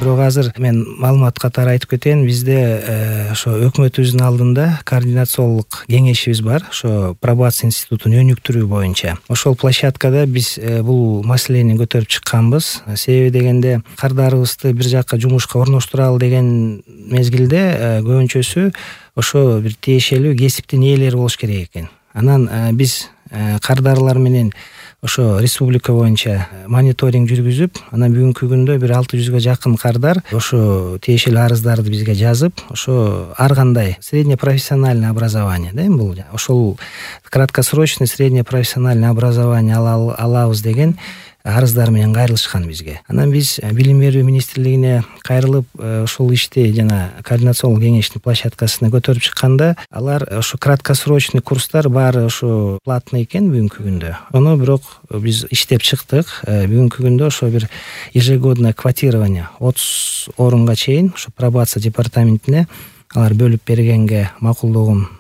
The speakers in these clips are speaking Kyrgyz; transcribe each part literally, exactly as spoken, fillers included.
Бирок азыр мен маалымат катары айтып кетейин, бизде ошо өкмөтүбүздүн алдында координациялык кеңешибиз бар, ошо пробация институтун өнүктүрүү боюнча. Ошол площадкада биз бул маселени көтөрүп чыкканбыз. Себеби дегенде кардарыбызды бир жакка жумушка орноштуралы деген мезгилде көбүнчөсү ошо бир тиешелүү кесиптин ээлери болуш керек экен. Анан биз кардарлар менен ошо республика боюнча мониторинг жүргүзүп, анан бүгүнкү күндө бир алты жүзгө жакын кардар ошо тиешелүү арыздарды бизге жазып, ошо ар кандай средне профессиональное образование, да, бул ошол краткосрочный средне профессиональное образование алабыз деген арыздар менен кайрылышкан бизге. Анан биз билим берүү министрлигине кайрылып, ошол ишти жана координациялык кеңештин площадкасына көтөрүп чыкканда, алар ошо краткосрочный курстар баары ошо платный экен бүгүнкү күндө. Аны бирок биз иштеп чыктык. Бүгүнкү күндө ошо бир ежегодное квотирование отуз орунга чейин ошо пробация департаментине алар бөлүп бергенге макулдугун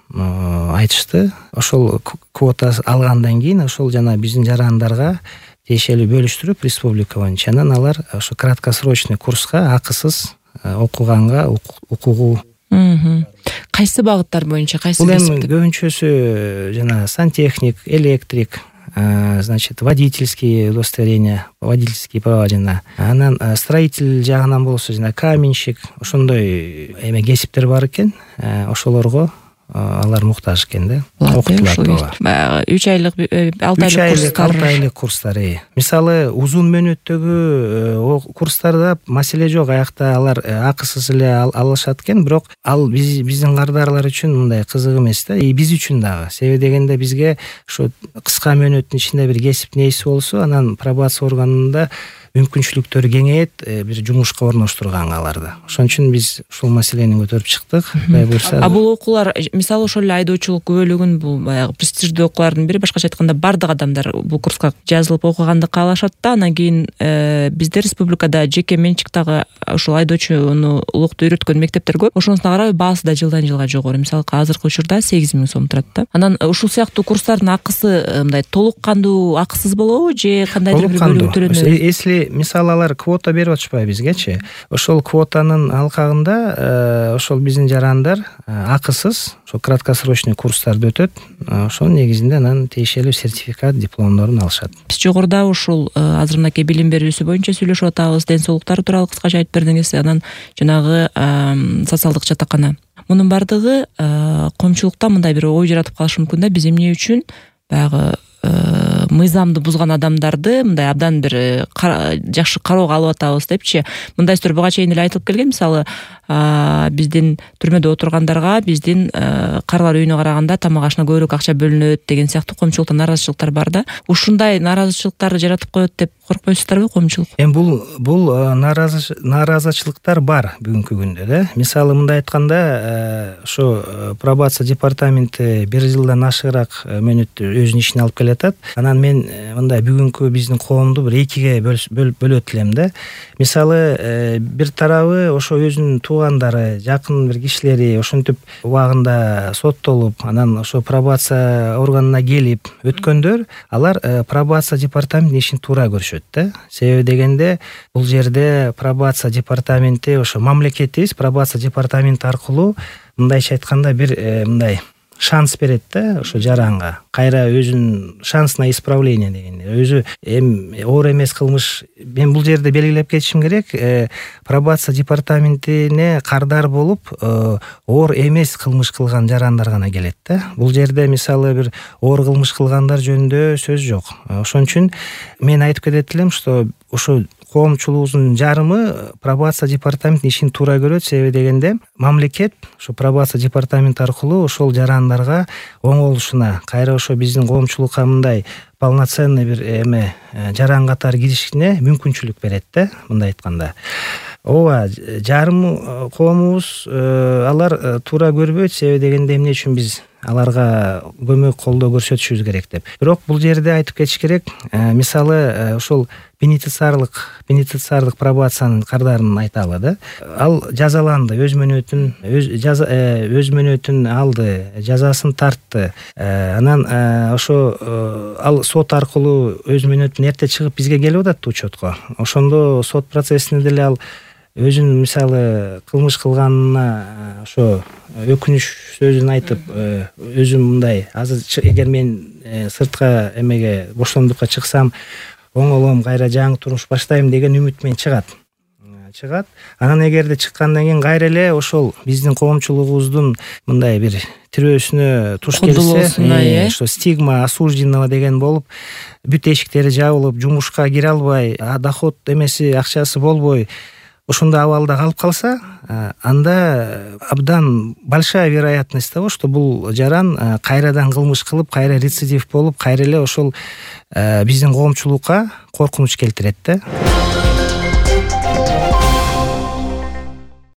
айтышты. Ошол квота алгандан кийин ошол жана биздин жарандарга тиешелүү бөлүштүрүп республика боюнча анан алар ошо краткосрочный курска акысыз окуганга укугу. Кайсы багыттар боюнча, кайсы бул эми көбүнчөсү жана сантехник, электрик, значит, водительский удостоверение, водительский права жана анан строитель жагынан болсо жана каменщик, ошондой эме кесиптер бар экен. Ошолорго алар муктаж экен да. Окутулат. үч айлык, алты айлык курстар. алты айлык курстар. Мисалы, узун мөөнөттөгү курстарда маселе жок. Аякта алар акысыз эле алышат экен, бирок ал биздин кардарлар үчүн мындай кызык эмес да. И биз үчүн дагы. Себеби дегенде бизге ошо кыска мөөнөттүн ичинде бир кесиптин ээси болсо, анан пробация органында мүмкүнчүлүктөрү кеңейет, бир жумушка орноштурганга аларды. Ошон үчүн биз ушул маселени көтөрүп чыктык. Кудай буйрса. А бул окуулар, мисалы, ошол эле айдоочулук күбөлүгүн, бул баягы престиждүү окуулардын бири, башкача айтканда бардык адамдар бул курска жазылып окуганды каалашат да. Анан кийин бизде республикада жеке менчиктеги ушул айдоочуну улукту үйрөткөн мектептер көп. Ошонусуна карабай баасы да жылдан жылга жогору. Мисалы, азыркы учурда сегиз миң сом турат да. Анан ушул сыяктуу курстардын акысы мындай толук кандуу акысыз болобу же кандайдыр бир бөлүгү төлөнөбү? Если мисалы алар квота берип атышпайбы бизгечи? Ошол квотанын алкагында ошол биздин жарандар акысыз ошол краткосрочный курстарды өтөт. Ошонун негизинде анан тиешелүү сертификат, дипломдорун алышат. Биз жогоруда ушул азыр мынакей билим берүүсү боюнча сүйлөшүп атабыз, ден соолуктары тууралуу кыскача айтып бердиңиз. Анан жанагы социалдык жатакана. Мунун бардыгы коомчулукта мындай бир ой жаратып калышы мүмкүн да, биз эмне үчүн баягы мыйзамды бузган адамдарды мындай абдан бир жакшы кароого алып атабыз депчи. Мындай сөздөр буга чейин эле айтылып келген. Мисалы, биздин түрмөдө отургандарга биздин карлар үйүнө караганда тамак ашына көбүрөөк акча бөлүнөт деген сыяктуу коомчулукта нааразычылыктар бар да. Ушундай нааразычылыктарды жаратып коет деп коркпойсуздарбы коомчулук? Эми бул бул нааразычылыктар бар бүгүнкү күндө да. Мисалы, мындай айтканда, ошо пробация департаменти бир жылдан ашыгыраак мөөнөттү өзүнүн ишине алып келатат. Анан мен мындай бүгүнкү биздин коомду бир экиге бөлөт элем да. Мисалы, бир тарабы ошо өзүнүн туугандары, жакын бир кишилери ошентип убагында соттолуп, анан ошо пробация органына келип өткөндөр, алар пробация департаментинин ишин туура көрүшөт да. Себеби дегенде бул жерде пробация департаменти ошо мамлекетибиз пробация департаменти аркылуу мындайча айтканда бир мындай шанс берет да ошо жаранга. Кайра өзүнүн шансына исправление дегенде. Өзү эми оор эмес кылмыш, мен бул жерде белгилеп кетишим керек, пробация департаментине кардар болуп, оор эмес кылмыш кылган жарандар гана келет да. Бул жерде мисалы бир оор кылмыш кылгандар жөнүндө сөз жок. Ошон үчүн мен айтып кетет элем, что ошо коомчулугубуздун жарымы пробация департаментинин ишин туура көрөт. Себеби дегенде мамлекет ошо пробация департаменти аркылуу ошол жарандарга оңолушуна, кайра ошо биздин коомчулукка мындай полноценный бир эме жаран катары киришине мүмкүнчүлүк берет да, мындай айтканда. Ооба, жарым коомубуз алар туура көрбөйт. Себеби дегенде эмне үчүн биз аларга көмөк колдоо көрсөтүшүбүз керек деп. Бирок бул жерде айтып кетиш керек, мисалы ошол пенитенциарлык пенитенциарлык пробациянын кардарын айталы да. Ал жазаланды, өз мөөнөтүн өз жаза өз мөөнөтүн алды, жазасын тартты. Анан ошо ал сот аркылуу өз мөөнөтүн эрте чыгып бизге келип атат учетко. Ошондо сот процессинде деле ал өзүн мисалы кылмыш кылганына ошо өкүнүч сөзүн айтып өзүм мындай азыр эгер мен сыртка эмеге боштондукка чыксам оңолом кайра жаңы турмуш баштайм деген үмүт менен чыгат чыгат анан эгерде чыккандан кийин кайра эле ошол биздин коомчулугубуздун мындай бир тирөөсүнө туш келсе ошо стигма осужденного деген болуп бүт эшиктери жабылып жумушка кире албай доход эмеси акчасы болбой ошондой абалда калып калса анда абдан большая вероятность того что бул жаран кайрадан кылмыш кылып кайра рецидив болуп кайра эле ошол биздин коомчулукка коркунуч келтирет да.